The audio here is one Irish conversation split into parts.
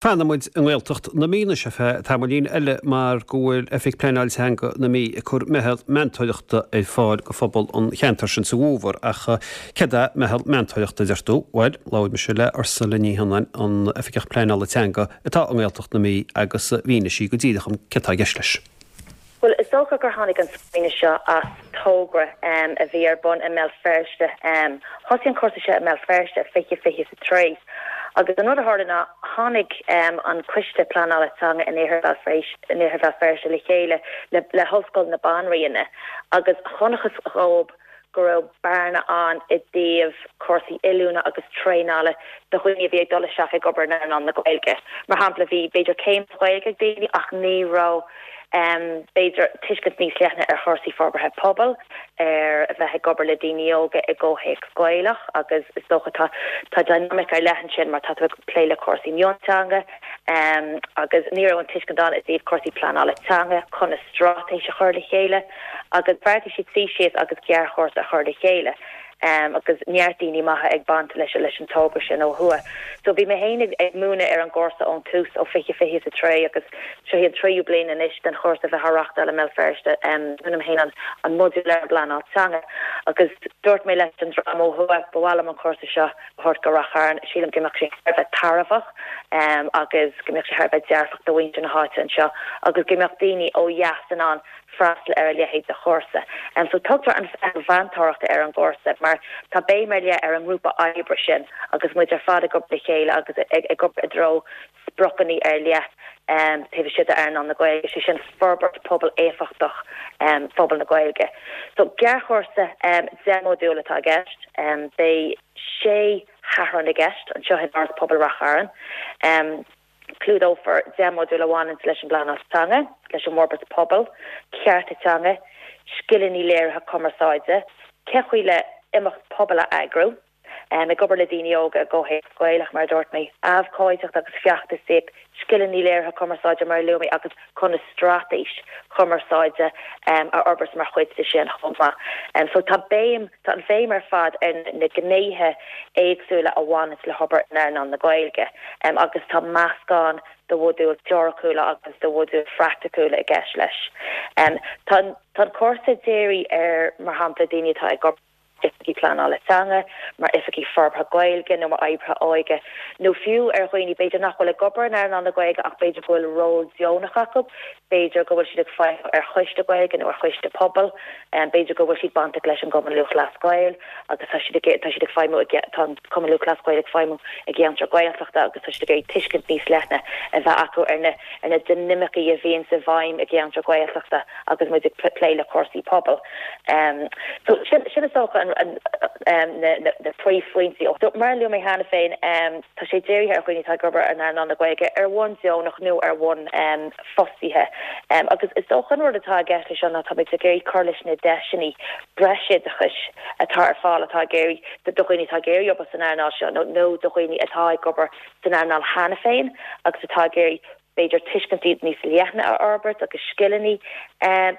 Fanfaidh muid i nGaeltacht na Mí anois ar feadh tamaillín eile mar go bhfuil Oifig Pleanáil Teanga na Mí ag cur meitheal meantóireachta ar fáil go phobal an cheantair sin sa bhfómhar. Ach céard é meitheal meantóireachta, a deir tú? Bhuel, labhair mise le Ursula Ní Shionnáin, an Oifigeach Pleanála Teanga atá i nGaeltacht na Mí agus mhínigh sí go díreach dom céard tá i gceist leis. Bhuel, is dócha gur tháinig an smaoineamh seo as togra a bhí ar bun i mBéal Feirste. Thosaigh an cúrsa seo i mBéal Feirste i 2023 agus an rud a tharla ná tháinig an Coiste Pleanála Teanga in Iarthar Bhéal Feirste le chéile le hOllscoil na Banríona agus chonacthas dhóibh go raibh bearna ann i dtaobh cúrsaí oiliúna agus traenála do dhaoine a bhí ag dul isteach ag obair in earnáil na Gaeilge. Mar shampla, bhí b'fhéidir céim sa Ghaeilge ag daoine ach ní raibh b'fhéidir tuiscint níos leithne ar chúrsaí forbartha pobail, ar a bheith ag obair le daoine óga i gcomhthéacs Gaelach agus is dócha tá tá dynamic ar leith ansin mar tá tú ag plé le cúrsaí mionteanga agus ní raibh an tuiscint ann i dtaobh cúrsaí pleanála teanga, conas straitéis a chur le chéile. agus bheartaigh siad suí síos agus gearrchúrsa a chur le chéile agus neart daoine maithe ag baint leis leis an togra sin ó thuaidh. So bhí mé féin ag ag múineadh ar an gcúrsa ón tús ó 2023 agus seo í an tríú bliain anois den chúrsa a bheith á reachtáil i mBéal Feirste. Múinim féin an an modúl ar an bpleanáil teanga agus dúirt mé leis an dream ó thuaidh ba mhaith liom an cúrsa seo a thabhairt go Rath Chairn. Sílim go mbeadh sé thar a bheith tairbheach agus go mbeadh sé thar a bheith dearfach do mhuintir na háite anseo agus go mbeadh daoine ó dheas in ann freastal ar a leithéid de chúrsa. So tugtar an Mheitheal Mheantóireachta ar an gcúrsa mar tá béim ar leith ar an ngrúpa oibre sin agus muid ar fad ag obair le chéile agus ag obair i dtreo spriocanna ar leith taobh istigh d'earnáil na Gaeilge, sé sin forbairt pobail éifeachtach phobal na Gaeilge. So gearrchúrsa 10 modúl atá i gceist. Beidh sé Shatharn i gceist anseo in Áras Pobail Rath Chairn. Clúdófar 10 modúl a bhaineanns leis an bpleanáil teanga, leis an bhforbairt pobail, cearta teanga, scileanna léirithe cumarsáide, cén chaoi le imeacht pobail a eagrú, ag obair le daoine óga i gcomhthéacs Gaelach, mar a dúirt mé, abhcóideacht agus feachtasaíocht, scileanna léirithe cumarsáide mar a luaigh mé agus conas straitéis chumarsáide a fhorbairt mar chuid de sin chomh maith. So tá béim, tá an bhéim ar fad ar na gnéithe éagsúla a bhaineanns le hobair in earnáil na Gaeilge agus tá meascán de mhodúil teoiriciúla agus de mhodúil phraiticiúla i gceist leis. Tá an cúrsa dírithe ar, mar shampla, daoine atá ag obair. oifigigh pleanála teanga, mar oifigigh forbartha Gaeilge nó mar oibrithe óige, nó fiú ar dhaoine b'fhéidir nach bhfuil ag obair in earnáil na Gaeilge ach b'fhéidir go bhfuil ról deonach acu, b'fhéidir go bhfuil siad ag feidhmiú ar choiste Gaeilge nó ar choiste pobail, b'fhéidir go bhfuil siad bainteach leis an gCumann Lúthchleas Gael agus tá siad ag tá siad ag feidhmiú i tá an Cumann Lúthchleas Gael ag feidhmiú i gceantar Gaeltachta agus tá siad ag iarraidh tuiscint níos leithne a bheith acu ar na ar na dinimicí a bhíonns i bhfeidhm i gceantar Gaeltachta agus muid ag plé le cúrsaí pobail. So sin sin is dócha an na na príomhphointí. So mar a luaigh mé cheana féin, tá sé dírithe ar dhaoine atá ag obair in earnáil na Gaeilge ar bhonn deonach nó ar bhonn fostaithe. Agus is dócha an rud atá i gceist leis seo ná táimid ag iarraidh cur leis na deiseanna breisoideachais atá ar fáil atá ag iarraidh do dhaoine atá ag iarraidh obair san earnáil seo nó nó do dhaoine atá ag obair san earnáil cheana féin agus atá ag iarraidh b'fhéidir tuiscintí níos leithne a fhorbairt agus scileanna,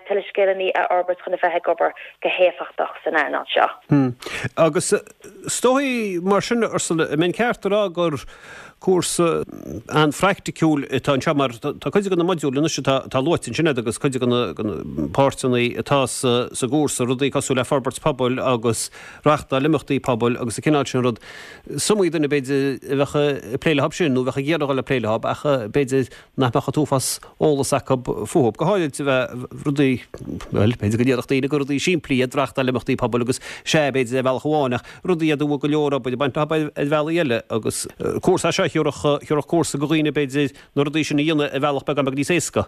tuilleadh scileanna a fhorbairt chun a bheith ag obair go héifeachtach san earnáil seo. Agus is dóigh mar sin, Ursula, an mbeinn ceart a rá gur cúrsa an-phraiticiúil atá anseo mar tá cuid de na modúil anois atá luaite ansin agat agus cuid de na páirteanna atá sa gcúrsa, rudaí cosúil le forbairt pobail agus reachtáil imeachtaí pobail agus an cineál sin rud. Is iomaí duine, b'fhéidir, a bheadh ag plé leo sin, nó a bheadh ag iarraidh a dhul ag plé leo, ach b'fhéidir nach mbeadh an t-uafás eolas acu fúthu. Go háirid a bheith rudaí, bhuel, b'fhéidir go ndéarfadh daoine gur rudaí simplí iad reachtáil imeachtaí pobail agus sea, b'fhéidir ar bhealach amháin, ach rudaí iad a bhfuil go leor obair ag baint leo ar bhealaí eile. Agus cúrsa é seo a thiúrfadh cúrsa do dhaoine, b'fhéidir, na rudaí sin a dhéanamh ar bhealach beagán beag níos éasca.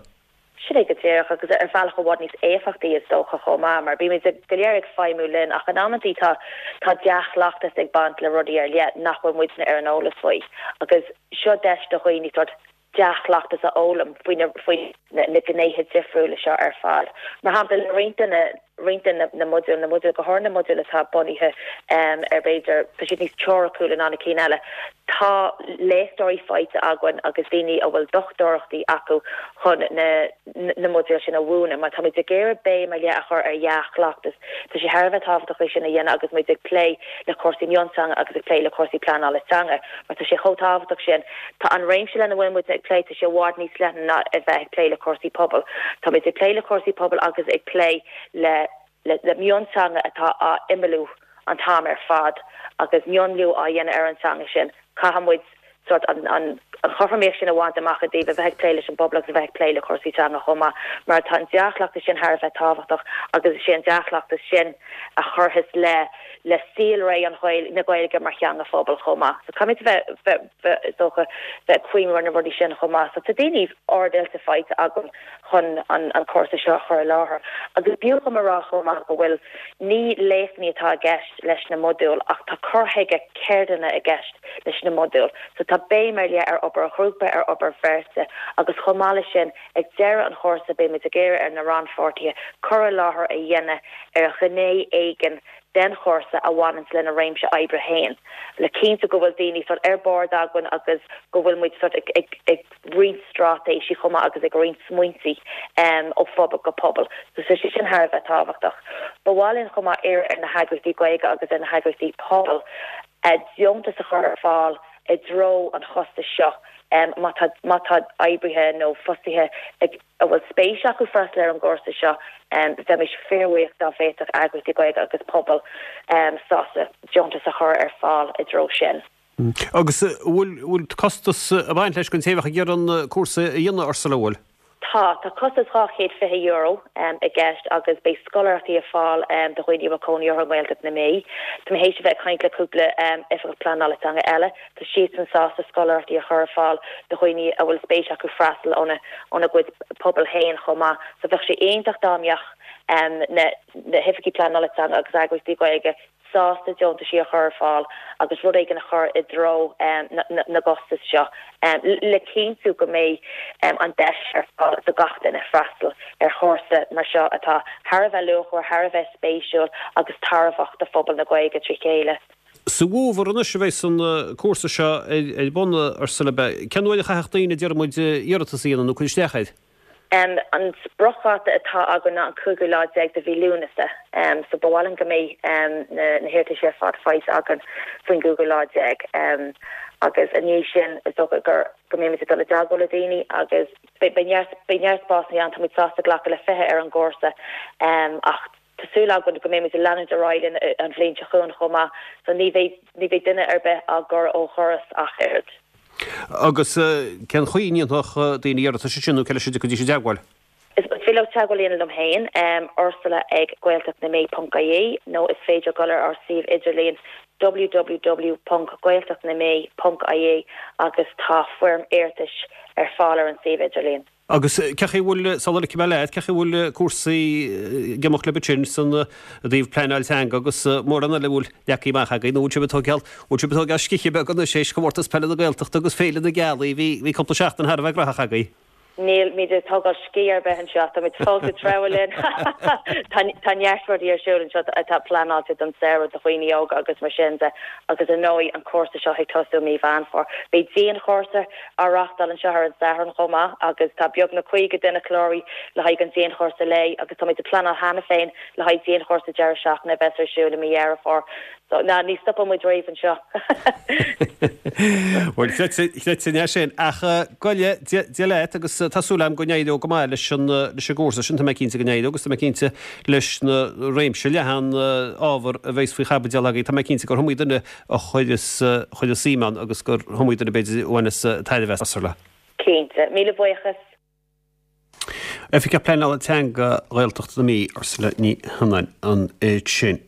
Sin é go díreach, agus ar bhealach i bhfad níos éifeachtaí is dócha chomh maith, mar bímid go léir ag feidhmiú linn ach in amantaí tá tá dea-chleachtas ag baint le rudaí ar leith nach bhfuil muidne ar an eolas faoi agus seo deis do dhaoine sórt dea-chleachtas a fhoghlaim faoi na faoi na gnéithe difriúla seo ar fad. Mar shampla, le roinnt de na. roinnt de na modúil, na modúil, go háirithe na modúil atá bunaithe ar b'fhéidir, tá siad níos teoiriciúla ná na cinn eile. Tá léachtóirí faighte againn agus daoine a bhfuil dochtúireachtaí acu chun na na modúil sin a mhúineadh mar táimid ag iarraidh béim ar leith a chur ar dhea-chleachtas. Tá sé thar a bheith tábhachtach é sin a dhéanamh agus muid ag plé le cúrsaí mionteanga agus ag plé le cúrsaí pleanála teanga mar tá sé chomh tábhachtach sin. Tá an réimse lena bhfuil muid ag plé, tá sé i bhfad níos leithne ná a bheith ag plé le cúrsaí pobail. Táimid ag plé le cúrsaí pobail agus ag plé le le mionteanga atá á imeallú an t-am ar fad agus mionlú á dhéanamh ar an teanga sin. Caithfidh muid sórt an an chothromaíocht sin a bhaint amach i dtaobh a bheith ag plé leis an bpobal agus a bheith ag plé le cúrsaí teanga chomh maith mar tá an dea-chleachtas sin thar a bheith tábhachtach agus is é an dea-chleachtas sin a chuirfeas le le saolré an na Gaeilge mar theanga phobail chomh maith. So caithfimid a bheith bheith bheith is dócha bheith ag cuimhneamh ar na rudaí sin chomh maith. So tá daoine ard-oilte faighte agam chun an an cúrsa seo a chur i láthair. Agus b'fhiú dhom a rá chomh maith go bhfuil, ní léachtanna atá i gceist leis na modúil ach tá cur chuige ceardlainne i gceist leis na modúil. So tá béim ar leith ar obair ghrúpa, ar obair bheirte agus chomh maith leis sin ag deireadh an chúrsa beimid ag iarraidh ar na rannpháirtithe cur i láthair a dhéanamh ar ghné éigin den chúrsa a bhaineanns lena réimse oibre féin le cinntiú go bhfuil daoine sort ar bord againn agus go bhfuil muid sort ag ag ag roinnt straitéisí chomh maith agus ag roinnt smaointe ó phobal go pobal. So tá sé sin thar a bheith tábhachtach. Ba mhaith linn chomh maith iarraidh ar na heagraíochtaí Gaeilge agus ar na heagraíochtaí pobail deontas a chur ar fáil i dtreo an chostais seo má tá má tá oibrithe nó fostaithe ag a bhfuil spéis acu freastal ar an gcúrsa seo. Bheimis fíorbhuíoch dá bhféadfadh eagraíochtaí Gaeilge agus pobail sásta deontas a chur ar fáil i dtreo sin. Agus an bhfuil, bhfuil costas ag baint leis don té a bheadh ag iarraidh an cúrsa a dhéanamh, Ursula, an bhfuil? Tá. Tá costas €220 i gceist agus beidh scoláireachtaí ar fáil do dhaoine a bhfuil cónaí orthu i nGaeltacht na Mí. Tá mé théis a bheith ag caint le cúpla oifigeach pleanála teanga eile. Tá siadsan sásta scoláireachtaí a chur ar fáil do dhaoine a bhfuil spéis acu freastal óna óna gcuid pobal féin chomh maith. So bheadh sé iontach dá mbeadh na hoifigigh pleanála teanga agus eagraíochtaí Gaeilge sásta deontaisí a chur ar fáil agus rud éigin a chur i dtreo na gcostas seo le cinntiú go mbeidh an deis ar fáil do gach duine freastal ar chúrsa mar seo atá thar a bheith luachmhar, thar a bheith spéisiúil agus tairbheach do phobal na Gaeilge trí chéile. Sa bhfómhar anois a bheas an cúrsa seo ar bun, Ursula. Cén uair a chaithfeadh daoine, deir muid, iarratas a dhéanamh nó cur isteach air? An spriocdháta atá againn ná an cúigiú lá déag de mhí Lúnasa, so ba mhaith linn go mbeidh na hiarrataisí ar fad faighte againn faoin gcúigiú lá déag. Agus i ndiaidh sin, is dócha gur go mbeimid ag dul i dteagmháil le daoine agus beidh neart beidh neart spásanna ann, táimid sásta glacadh le 20 ar an gcúrsa ach tá súil againn go mbeimid ag leanúint ar aghaidh linn an bhliain seo chugainn chomh maith, so ní bheidh ní bheidh duine ar bith á gcur ó dhoras ach oiread. Agus cén chaoi a ndéanfadh daoine iarratas ansin nó cé leis a dtiocfaidís i dteagmháil? Is féidir leo teagmháil a dhéanamh liom féin, Ursula ag gaeltachtnamí.ie nó is féidir dul ar ár suíomh idirlíon www.gaeltachtnamí.ie agus tá foirm iarratais ar fáil ar an suíomh idirlíon. Agus cén chaoi a bhfuil, sula ligfidh mé leat, cén chaoi a bhfuil cúrsaí ag imeacht libh ansin san i dtaobh pleanáil teanga agus mórán eile a bhfuil leagtha amach agaibh nó bhfuil sibh ag tógáil, bhfuil sibh ag tógáil scíthe beag anois théis Chomórtas Peile na Gaeltachta agus Féile na Gealaí, bhí, bhí cúpla seachtain thar a bheith graitheach agaibh. Nílimid ag tógáil scíth ar bith anseo, táimid fós ag treabhadh linn. Tá, tá neart rudaí ar siúl anseo atá pleanáilte don samhradh do dhaoine óga agus mar sin de agus ar ndóigh an cúrsa seo ag tosú i mí Mheán Fómhair. Beidh dianchúrsa á reáchtáil anseo ar an Satharn chomh maith agus tá beagnach 50 duine cláraithe le haghaidh an dianchúrsa lae agus táimid ag pleanáil cheana féin le haghaidh dianchúrsa deireadh seachtaine a bheas ar siúl i mí Dheireadh Fómhair. So, ná, ní stopann muid riamh anseo. Bhuel, chreidfinn é sin. Ach go raibh Dia leat agus tá súil agam go n-éireoidh go maith leis an leis an gcúrsa sin, tá mé cinnte go n-éireoidh agus tá mé cinnte leis na réimse leathan ábhar a bheas faoi chaibidil agaibh, tá mé cinnte gur iomaí duine a chuireas chuireas suim ann agus gur iomaí duine b'fhéidir a bhaineas tairbhe as. Ursula. Cinnte. Míle buíochas. Oifigeach Pleanála Teanga Ghaeltacht na Mí, Ursula Ní Shionnain ansin.